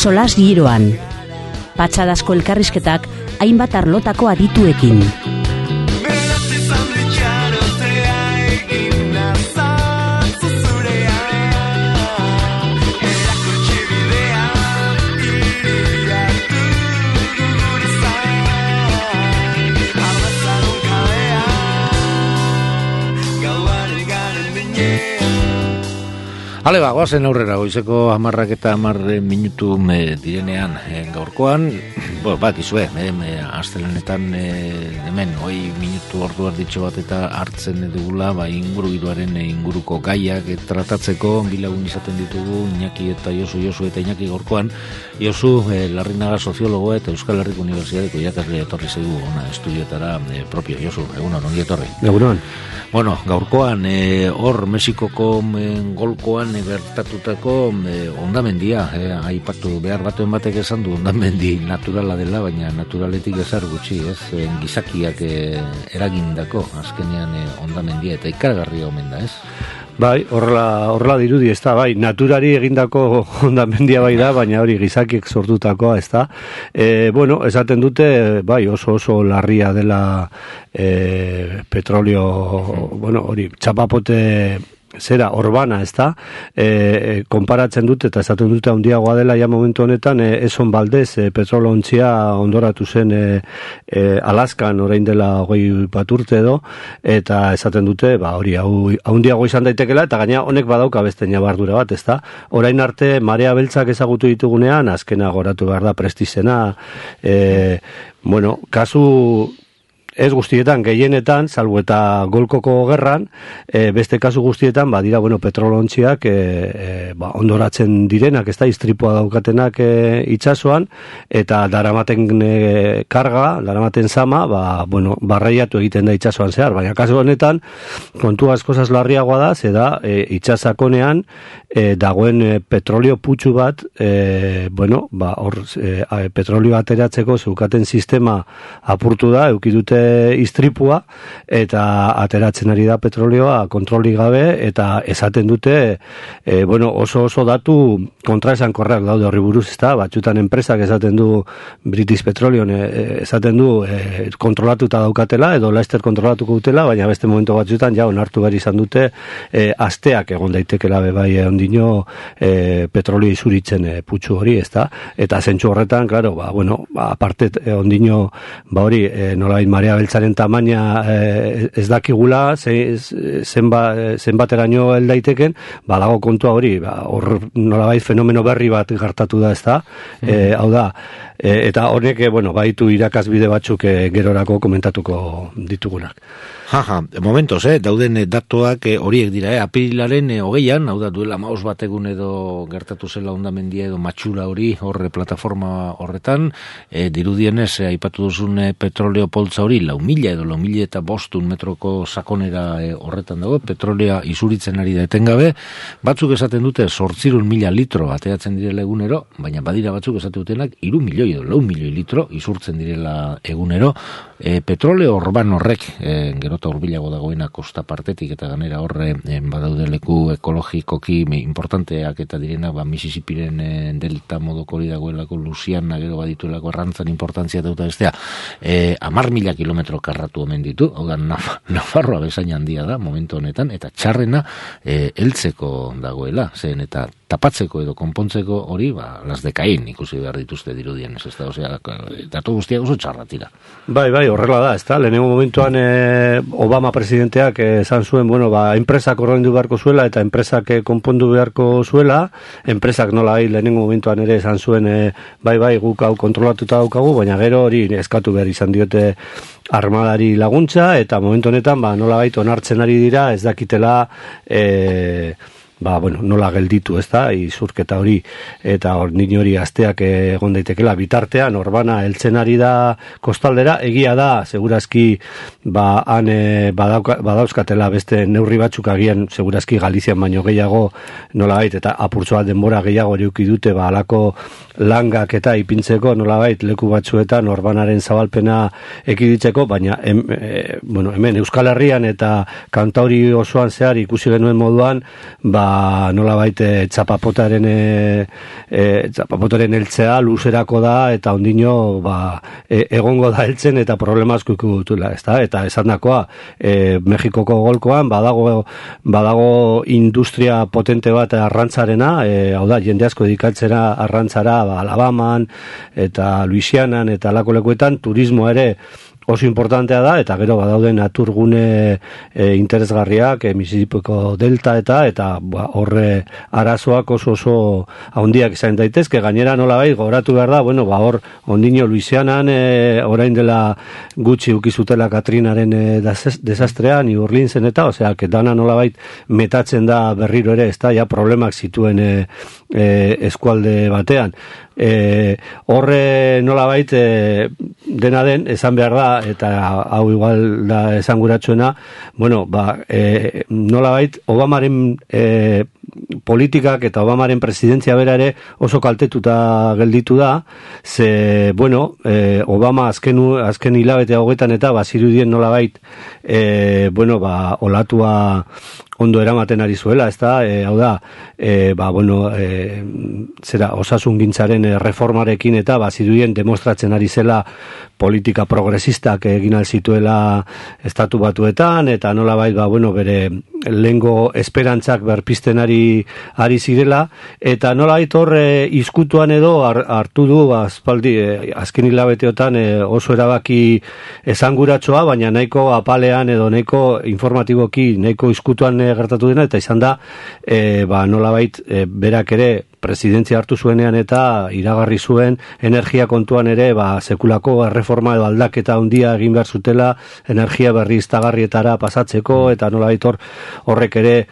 solas giroan. Patxadasko elkarrizketak hainbat arlotako adituekin. Hale ba, goazen aurrera, goizeko 10 eta 10 minutu direnean gaurkoan, bakizue, astelenetan hemen, 20 minutu ordu erditxo bat eta hartzen dugula, ingurugiroaren inguruko gaiak tratatzeko, bilagun izaten ditugu, Iñaki eta Josu eta Iñaki gaurkoan, Josu, Larrinaga soziologo eta Euskal Herriko Unibertsitateko irakaslea etorri zaigu, estudioetara propio, Josu, egunon, ongi etorri. Egunon. Bueno, gaurkoan, hor Mexikoko golkoan gertatutako hondamendia, aipatu behar batuen batek esan du hondamendi naturala dela, baina naturaletik ezar gutxi, gizakiak eragindako, azkenean hondamendia, eta ikaragarria omen da, ez? Bai, horrela dirudi, ez da, bai, naturari egindako hondamendia bai da, baina hori gizakiek sortutakoa, ez da. Bueno, esaten dute, bai, oso larria dela petrolio, bueno, hori, txapapote zera, orbana, ez da, konparatzen dute, eta esaten dute handiagoa dela, ja momentu honetan, Exxon Valdez, petrolo ontzia ondoratu zen Alaskan, orain dela 20 bat urte edo, eta esaten dute, hori, handiago izan daitekela, eta gaina honek badauka beste nabardura bat, ez da, orain arte, marea beltzak ezagutu ditugunean, azkena goratu behar da prestizena, bueno, kasu ez guztietan, gehienetan, salbu eta golkoko gerran, beste kasu guztietan, dira, bueno, petrolontziak ondoratzen direnak, ez da, istripua daukatenak itsasoan, eta daramaten karga, daramaten zama, bueno, barreiatu egiten da itsasoan zehar, baina kasu honetan, kontu askozaz larriagoa da, ze da, itsasakonean, dagoen petrolio putxu bat, bueno, hor, petrolio ateratzeko zeukaten sistema apurtu da, eukidute istripua, eta ateratzen ari da petrolioa kontroli gabe, eta esaten dute, bueno, oso datu kontraesan korreak daude horri buruz, ez da, batxutan enpresak esaten du British Petroleum, esaten du kontrolatuta daukatela, edo Leicester kontrolatuko dutela, baina beste momento batxutan, ja, onartu behar izan dute, asteak egon daitekela bebai ondino petrolio izuritzen putxu hori, ez da, eta zentsu horretan, claro, bueno, aparte ondino, hori, nolabait marea beltzaren tamaina ez dakigula, zenbateraino heldaiteken, dago kontua hori, hor nolabait fenomeno berri bat gertatu da, ez da, hau da, eta honek, bueno, baitu irakasbide batzuk gerorako komentatuko ditugunak. Momentos, dauden datuak horiek dira, apirilaren 20an, hau da, duela 15 bat egun edo gertatu zela hondamendia edo matxura hori, horre plataforma horretan, dirudienez, aipatu duzun petroleo poltza hori, 4.000 edo 4.500 metroko sakonera horretan dago, petrolea izuritzen ari da etengabe, batzuk esaten dute 800.000 litro ateatzen direla egunero, baina badira batzuk esaten dutenak 3 milioi edo 4 milioi litro izurtzen direla egunero, petroleo orban horrek, gero urbilago dagoena kosta partetik eta ganera horre badaude leku ekologikoki importanteak eta direnak Mississippiren delta modoko hori dagoelako, Luisiana gero badituelako errantzan importantzia dauta bestea, 10.000 kilometro karratu omen ditu, hau da Nafarroa bezain handia da momentu honetan, eta txarrena heltzeko dagoela, zen eta tapatzeko edo konpontzeko hori, las de Caín ikusi behar dituzte dirudien, ez da, osea, datu guztiak oso txarratira. Bai, horrela da, ez da, lehenengo momentuan Obama presidenteak esan zuen, bueno, enpresak ordaindu beharko zuela eta enpresak konpondu beharko zuela, enpresak nola lehenengo momentuan ere esan zuen, bai, guk hau kontrolatuta daukagu, baina gero hori eskatu behar izan diote armadari laguntza, eta momentu honetan, nola onartzen ari dira, ez dakitela, bueno, nola gelditu, ez da, izurketa hori, eta hori asteak egon daitekela bitartean, orbana heltzen ari da kostaldera, egia da, segurazki, han badauzkatela beste neurri batzuk agian, segurazki Galizian baino gehiago, nolabait, eta apurtzoa denbora gehiago euki dute, halako langak eta ipintzeko, nolabait, leku batzuetan orbanaren zabalpena ekiditzeko, baina, bueno, hemen Euskal Herrian eta kantauri osoan zehar ikusi genuen moduan, nolabait txapapotaren heltzea luzerako da, eta ondino egongo da heltzen eta problema asko ikutula, ezta? Eta esandakoa, Mexikoko golkoan badago industria potente bat arrantzarena, hau da, jende asko dedikatzera arrantzara, Alabaman eta Louisianan eta alako lekuetan, turismo ere oso importantea da, eta gero badaude naturgune interesgarriak, Mississippiko delta eta horre arazoak oso handiak izan daitezke. Gainera nolabait gogoratu behar da, hor ondino Louisianan orain dela gutxi ukizutela Katrinaren desastrean, New Orleansen eta, osea, dana nolabait metatzen da berriro ere, ez da, ja problemak zituen eskualde batean. Horre nolabait dena den, esan behar da, eta hau igual da esanguratsuena, nolabait Obamaren politikak eta Obamaren presidentzia bera ere oso kaltetuta gelditu da, ze, Obama azken hilabete hauetan eta bazirudien nolabait, olatua ondo eramaten ari zuela, ez da, hau da, osasungintzaren reformarekin eta bazirudien demostratzen ari zela politika progresistak egin alzituela estatu batuetan, eta nolabait, bere lehengo esperantzak berpisten ari zirela, eta nolabait horre izkutuan edo hartu du, azken hilabeteotan oso erabaki esanguratsoa, baina nahiko apalean edo nahiko informatiboki, nahiko izkutuan gertatu dena, eta izan da, nolabait berak ere presidentzia hartu zuenean eta iragarri zuen energia kontuan ere sekulako erreforma edo aldaketa handia egin behar zutela energia berriztagarrietara pasatzeko, eta nolabait horrek ere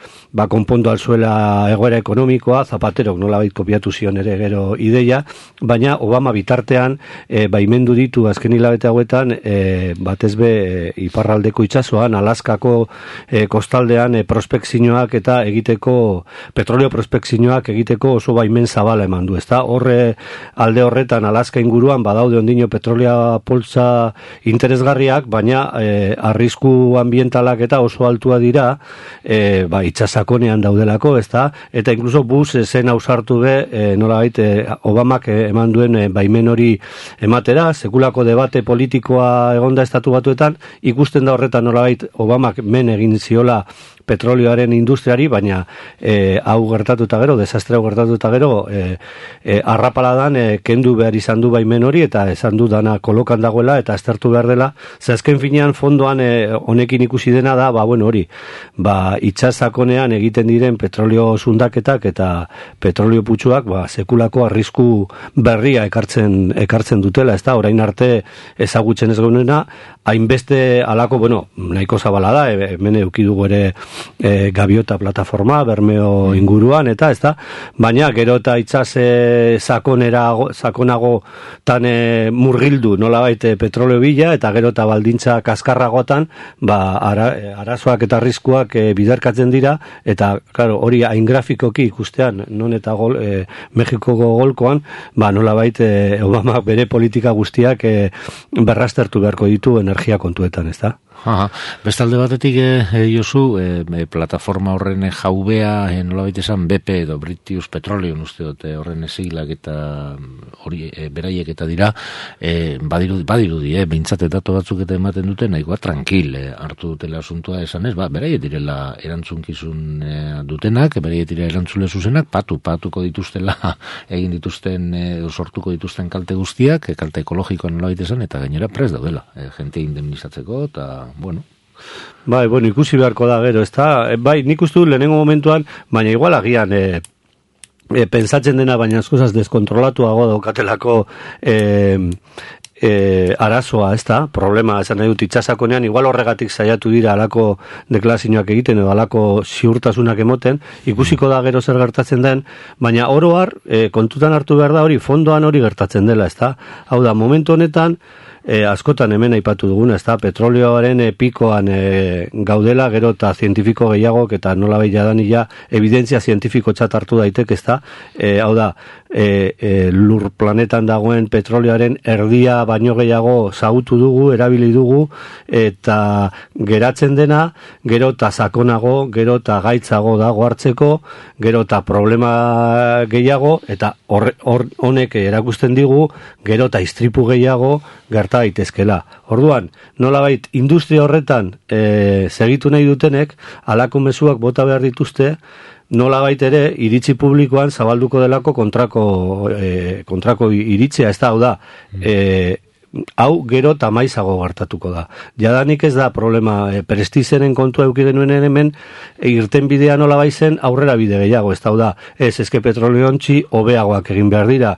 konpondu alzuela egoera ekonomikoa. Zapaterok nolabait kopiatu zion ere gero ideia, baina Obama bitartean baimendu ditu azken hilabete hauetan batez be iparraldeko itsasoan, Alaskako kostaldean prospekzioak eta egiteko, petrolio prospekzioak egiteko oso baimen zabala eman du, ezta? Horre alde horretan Alaska inguruan badaude ondino petrolea poltsa interesgarriak, baina arrisku ambientalak eta oso altua dira, itsasakonean daudelako, ezta? Eta incluso Bush zen ausartu be, nolabait Obamak eman duen baimen hori ematera, sekulako debate politikoa egonda estatu batuetan, ikusten da horretan nolabait Obamak men egin ziola petrolioaren industriari, baina hau gertatuta gero, desastre hau gertatuta gero, arrapaladan kendu behar izan du baimen hori, eta esan du dana kolokan dagoela, eta aztertu behar dela, ze azken finean fondoan honekin ikusi dena da, hori, itsasakonean egiten diren petrolio zundaketak eta petrolio putxuak, sekulako arrisku berria ekartzen dutela, ez da, orain arte ezagutzen ez gaunena, hainbeste alako, nahiko zabala da, hemen eukidugu ere gaviota plataforma, Bermeo inguruan, eta ez da, baina gero eta itsas sakonago tan murgildu nolabait petroleo bila, eta gero eta baldintza kaskarragotan, arazoak eta arriskuak biderkatzen dira, eta claro, hori hain grafikoki ikustean, non eta Mexikoko golkoan, nolabait Obama bere politika guztiak berraztertu beharko ditu energia kontuetan, ez da? Bestalde batetik, Josu, plataforma horren jaubea, nolabait esan BP edo British Petroleum, uste dute horren siglak eta hori beraiek eta dira, badirudi, behintzate datu batzuk eta ematen dute, nahikoa tranquil hartu dutela asuntua esanez, beraiek direla erantzunkizun dutenak, beraiek direla erantzule zuzenak, patuko dituztela egin dituzten, sortuko dituzten kalte guztiak, kalte ekologikoan nolabait esan, eta gainera prest daudela, jente indemnizatzeko, eta ikusi beharko da gero, ez da? Nik uste du lehenengo momentuan, baina igual agian pensatzen dena, baina eskozaz deskontrolatuago daukatelako arazoa, ez da? Problema, esan nahi dut, itsasakonean, igual horregatik saiatu dira alako deklarazioak egiten edo alako ziurtasunak emoten, ikusiko da gero zer gertatzen den, baina oro har, kontutan hartu behar da hori, fondoan hori gertatzen dela, ez da? Hau da, momentu honetan, askotan hemen aipatu duguna, ez da, petrolioaren pikoan gaudela, gero eta zientifiko gehiagok, eta nola jadanik evidentzia zientifiko txat hartu daitek, ez da, hau da, lur planetan dagoen petrolioaren erdia baino gehiago zagutu dugu, erabili dugu, eta geratzen dena, gero eta sakonago, gero eta gaitzago dago hartzeko, gero eta problema gehiago, eta honek erakusten digu, gero eta istripu gehiago gerta daitezkela. Orduan, nolabait industria horretan segitu nahi dutenek, halako mezuak bota behar dituzte, nolabait ere iritzi publikoan zabalduko delako kontrako iritzia, ez da, hau da, hau gero tamaizago gertatuko da. Jadanik ez da problema, prestizenen kontua eduki genuen hemen, irten bidea nola baizen aurrera bide gehiago, ez da, eske petroleontzi hobeagoak egin behar dira,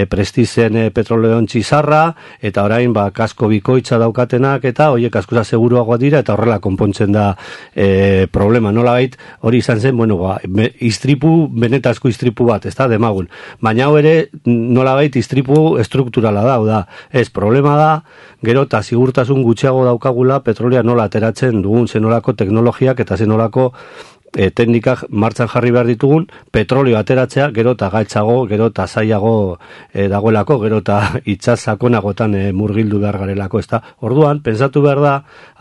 prestizen petroleontzi zarra, eta orain kasko bikoitza daukatenak, eta hoiek askoza seguruagoa dira, eta horrela konpontzen da problema. Nola bait, hori izan zen, istripu, benetazko istripu bat, ez da, demagun. Baina hau ere, nola bait, istripu estrukturala da, ez problema da, gero eta sigurtasun gutxiago daukagula petrolea nola ateratzen dugun, zenolako teknologiak eta zenolako teknikak martxan jarri behar ditugun, petroleo ateratzea, gero eta gaitzago, gero eta zailago dagoelako, gero eta itxas sakonagotan murgildu behar garelako, ez da. Orduan, pensatu behar da,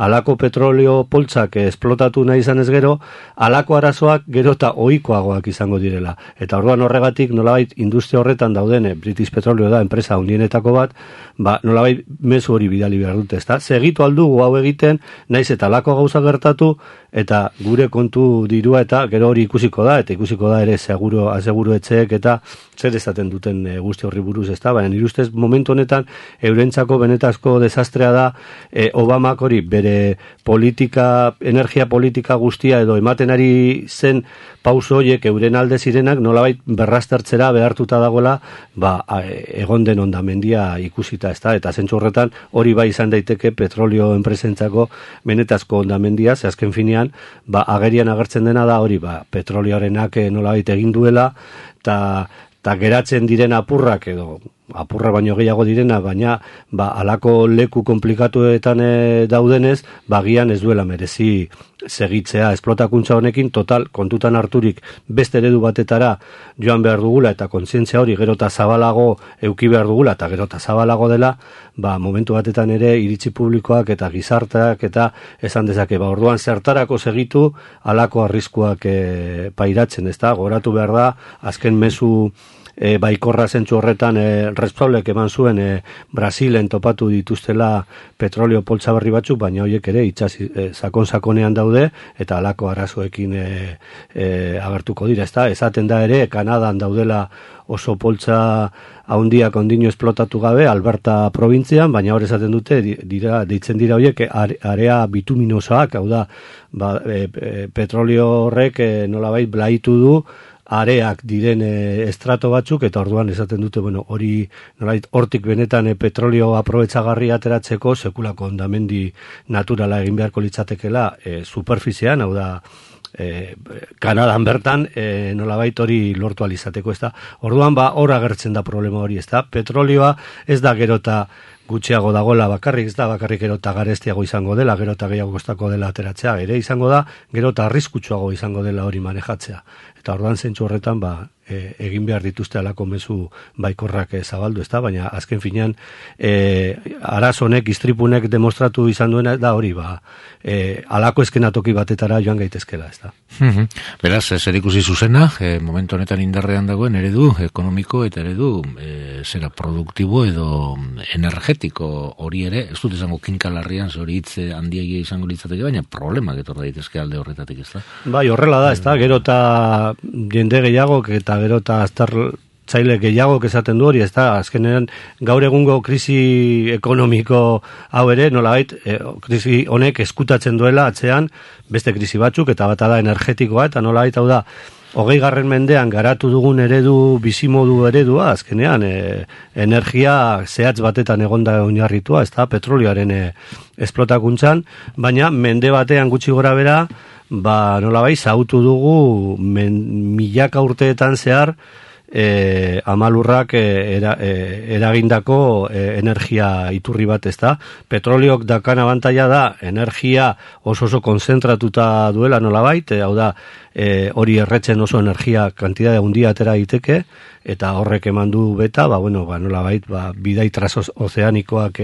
alako petroleo poltsak esplotatu nahi izan ez gero, alako arazoak gero eta ohikoagoak izango direla. Eta orduan horregatik, nolabait, industria horretan dauden, British Petroleo da, enpresa handienetako bat, nolabait, mezu hori bidali behar dute, ez da. Segitu aldugu hau egiten, naiz eta alako gauza gertatu, eta gure kontu dirua eta gero hori ikusiko da, eta ikusiko da ere aseguru etxeek eta zer esaten duten guzti horri buruz, ez da, baina nire ustez momentu honetan eurentzako benetazko desastrea da Obamak hori bere energia politika guztia edo ematen ari zen pauso horiek euren alde zirenak nolabait berraztertzera behartuta dagoela egon den hondamendia ikusita, ez da, eta zentzu horretan hori bai izan daiteke petrolio enpresentzako benetazko hondamendia, ze azken finean agerian agertzen dena da hori petrolioarenak nolabait egin duela, eta geratzen diren apurrak edo apurra baino gehiago direna, baina alako leku komplikatuetan daudenez, bagian ez duela merezi segitzea esplotakuntza honekin, total, kontutan harturik beste eredu batetara joan behar dugula, eta kontzientzia hori gero eta zabalago euki behar dugula, eta gero eta zabalago dela, momentu batetan ere iritzi publikoak eta gizarteak eta esan dezake, orduan zertarako segitu alako arriskuak pairatzen, ez da, goratu behar da, azken mezu baikorra zentzu horretan Repsolek eman zuen Brasilen topatu dituztela petrolio poltsa berri batzuk, baina horiek ere itsas sakon-sakonean daude eta halako arazoekin agertuko dira, ezta? Esaten da ere Kanadan daudela oso poltsa handiak ondino esplotatu gabe Alberta probintzian, baina hor esaten dute deitzen dira horiek area bituminosoak, hau da petrolio horrek nolabait blaitu du areak diren estrato batzuk, eta orduan esaten dute, hori nolait hortik benetan petrolio aprobetxagarri ateratzeko sekulako hondamendi naturala egin beharko litzatekela superfizian, hau da Kanadan bertan nolabait hori lortu alizateko, ez da. Orduan hor agertzen da problema hori, ez da. Petrolioa ez da gero eta gutxiago dagoela bakarrik, ez da bakarrik gero eta garestiago izango dela, gero eta gehiago kostako dela ateratzea, ere izango da, gero eta arriskutsuago izango dela hori manejatzea. Eta orduan zentzu horretan egin behar dituzte alako mezu baikorrak zabaldu, ez da, baina azken finean arazonek, istripunek demostratu izan duena da hori, alako eskenatoki batetara joan gaitezkela, ez da. Beraz, zer ikusi zuzena, momentu honetan indarrean dagoen eredu ekonomiko eta eredu zera produktibo edo energetiko hori ere, ez dut izango kinkalarrian, hori hitz handiegia izango litzateke, baina problemak etorra daitezke alde horretatik, ez da? Bai, horrela da, ez da, gero eta jende gehiago eta gero eta aztertzaile gehiago esaten du hori, ez da, azkenean gaur egungo krisi ekonomiko hau ere, nolabait, krisi honek eskutatzen duela atzean beste krisi batzuk, eta bata da energetikoa, eta nolabait hau da, 20. mendean garatu dugun eredu, bizimodu eredua, azkenean, energia zehatz batetan egonda oinarritua, ez da, petrolioaren esplotakuntzan, baina mende batean gutxi gora bera, nolabait, zautu dugu milaka urteetan zehar amalurrak eragindako energia iturri bat, ezta? Petroliok dakan abantaila da, energia oso konzentratuta duela nolabait, hau da, hori erretzen oso energia kantidade handia atera daiteke, eta horrek eman du beta, nolabait, bidai transozeanikoak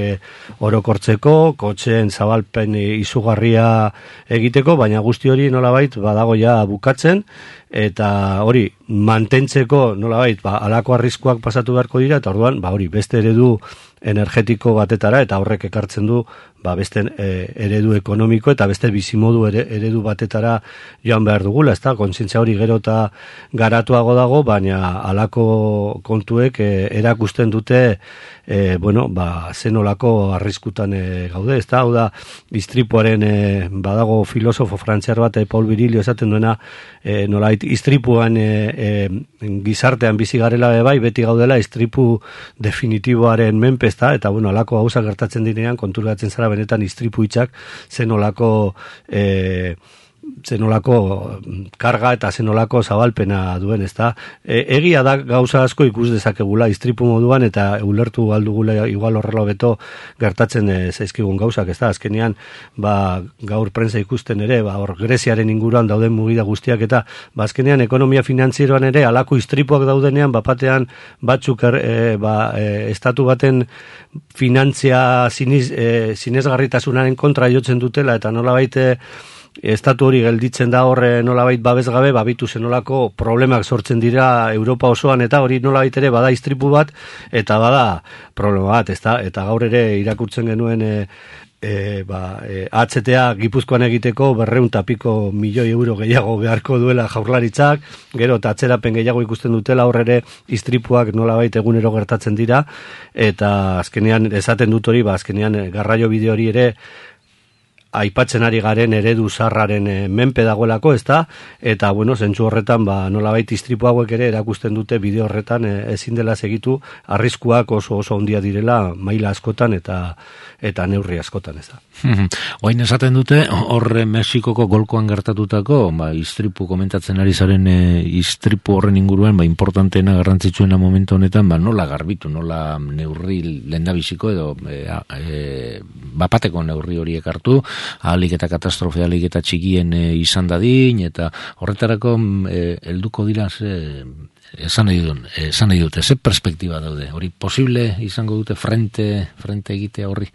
orokortzeko, kotxeen zabalpen izugarria egiteko, baina guzti hori nolabait badago ja bukatzen, eta hori mantentzeko nolabait halako arriskuak pasatu beharko dira, eta orduan hori beste eredu energetiko batetara, eta horrek ekartzen du beste eredu ekonomiko eta beste bizimodu eredu batetara joan behar dugula, ezta? Kontzientzia hori gero eta garatuago dago, baina halako kontuek erakusten dute zenolako arriskutan gaude, ezta? Hau da, istripuaren badago filosofo frantziar bat, Paul Virilio esaten duena, nolait istripuan gizartean bizi garela beti gaudela istripu definitiboaren menpe, ezta? Eta halako gauza gertatzen direnean konturatzen zara benetan istripu hitzak zenolako karga eta zenolako zabalpena duen, ezta? Egia da gauza asko ikus dezakegula istripu moduan, eta ulertu aldugula igual horrela beto gertatzen zaizkigun gauzak, ezta? Azkenean, gaur prensa ikusten ere, hor Greziaren inguruan dauden mugida guztiak, eta azkenean ekonomia finantzieroan ere halako istripuak daudenean, bapatean batzuk estatu baten finantzia sinesgarritasunaren kontra jotzen dutela, eta nolabait estatu hori gelditzen da horre nolabait babesgabe, babitu zenolako problemak sortzen dira Europa osoan, eta hori nolabait ere bada istripu bat, eta bada problema bat, ezta? Eta gaur ere irakurtzen genuen HTA Gipuzkoan egiteko 200 milioi euro gehiago beharko duela Jaurlaritzak, gero eta atzerapen gehiago ikusten dutela, hor ere istripuak nolabait egunero gertatzen dira, eta azkenean esaten dut hori, azkenean garraio bide hori ere aipatzen ari garen eredu zarraren menpe dagoelako, ezta? Eta zentzu horretan nolabait istripu hauek ere erakusten dute bide horretan ezin dela segitu, arriskuak oso handia direla maila askotan eta neurri askotan, ezta? Oain esaten dute horre Mexikoko golkoan gertatutako istripu komentatzen ari zaren istripu horren inguruan importanteena garrantzitsuena momentu honetan nola garbitu, nola neurri lehendabiziko edo bapateko neurri horiek hartu, ahalik eta katastrofe ahalik eta txikien izan dadin, eta horretarako helduko dira esan nahi dute, ze perspektiba daude, hori posible izango dute frente egitea horri,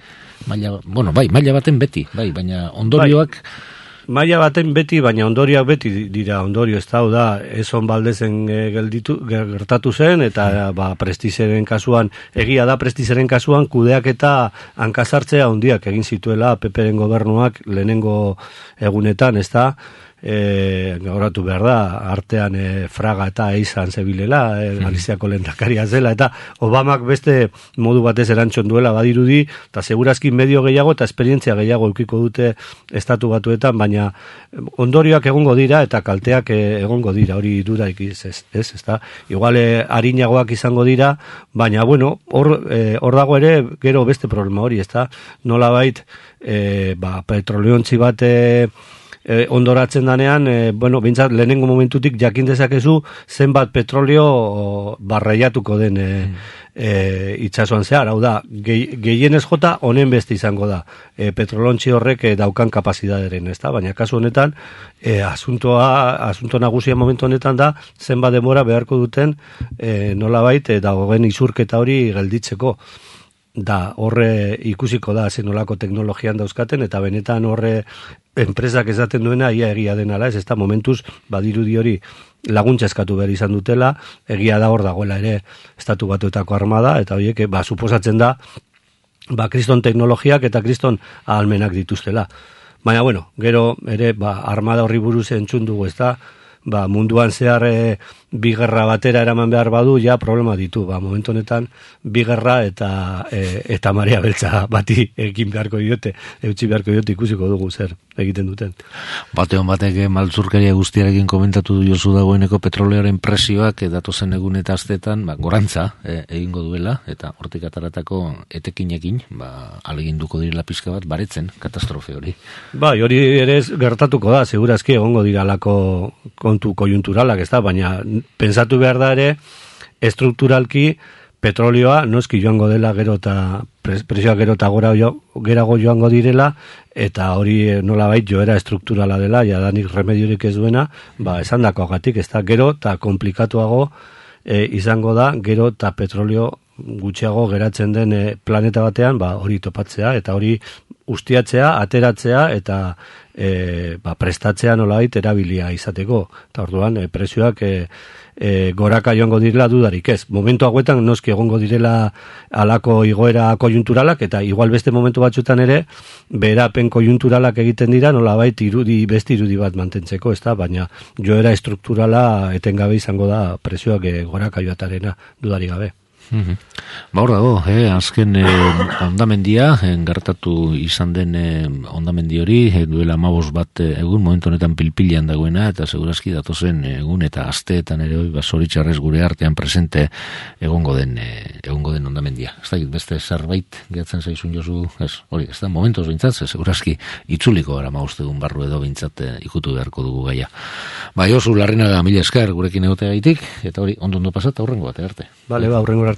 maila baten beti, baina ondorioak maila baten beti, baina ondorioak beti dira ondorio, ez da, Eson Baldezen gertatu zen, eta Prestizeren kasuan, egia da Prestizeren kasuan kudeak eta hankasartzea handiak egin zituela PPren gobernuak lehenengo egunetan, ez da, gauratu behar da, artean Fraga eta Eizan zebilela, Galiziako lehendakaria zela, eta Obamak beste modu batez erantzun duela badirudi, eta segurazki medio gehiago eta esperientzia gehiago eukiko dute estatu batuetan, baina ondorioak egongo dira eta kalteak egongo dira, hori dudaik ez da? Igual arinagoak izango dira, baina hor dago ere gero beste problema hori, ez da? Nolabait, petroliontzi bat ondoratzen danean, bintzat lehenengo momentutik jakin dezakezu zenbat petrolio barraiatuko den itsasoan zehar, hau da, gehienez jota honen beste izango da, petrolontzi horrek daukan kapazidaderen, ez da? Baina kasu honetan, asunto nagusia momentu honetan da, zenbat denbora beharko duten nolabait dagoen izurketa hori gelditzeko. Da, horre ikusiko da zenolako teknologian dauzkaten, eta benetan horre enpresak esaten duena ia egia denala, ez da momentuz badirudi hori laguntza eskatu behar izan dutela, egia da hor dagoela ere estatu batuetako armada, eta horiek suposatzen da kriston teknologiak eta kriston ahalmenak dituztela. Baina gero ere armada horri buruz entzun dugu, ez da, munduan zehar bi gerra batera eraman behar badu, ja problema ditu. Momentu honetan, bi gerra eta marea beltza bati egin beharko diote, eutxi beharko diote ikusiko dugu zer egiten duten. Batean batek maltzurkeria guztiarekin komentatu du Josu dagoeneko petroleoaren presioak datozen egun eta astetan gorantza egingo duela, eta hortik ataratako etekinekin aleginduko direla pizka bat baretzen katastrofe hori. Hori ere gertatuko da, segurazki egongo diralako kontu koiunturalak, ez da, baina pensatu behar da ere, estrukturalki petrolioa noski joango dela gero eta presioak gero eta gerago joango direla, eta hori nolabait joera estrukturala dela, jadanik remediorik ez duena, esandakoagatik, ez da gero eta komplikatuago izango da, gero eta petrolio gutxiago geratzen den planeta batean, hori topatzea, eta hori ustiatzea, ateratzea, eta prestatzea nolabait erabilia izateko. Eta orduan, presioak goraka joango direla dudarik ez. Momentu hauetan noski egongo direla alako igoera koiunturalak, eta igual beste momentu batzuetan ere, beherapen koiunturalak egiten dira, nolabait beste irudi bat mantentzeko, ez da, baina joera estrukturala etengabe izango da presioak goraka joatarena dudarik gabe. Hor dago, azken ondamendia, gertatu izan den ondamendi hori, duela 15 bat egun, momentu honetan pilpilean dagoena, eta segurazki datozen egun eta asteetan ere zoritxarrez gure artean presente egongo den ondamendia. Ez da, beste zerbait gehatzen zaizun Josu, hori, ez da, momentoz bintzat, segurazki itzuliko gara 15 egun barru edo bintzat ikutu beharko dugu gaia. Josu, Larrinaga, mila esker gurekin egote gaitik, eta hori, ondo pasat, aurrengo bat, arte. Bale, aurrengo arte.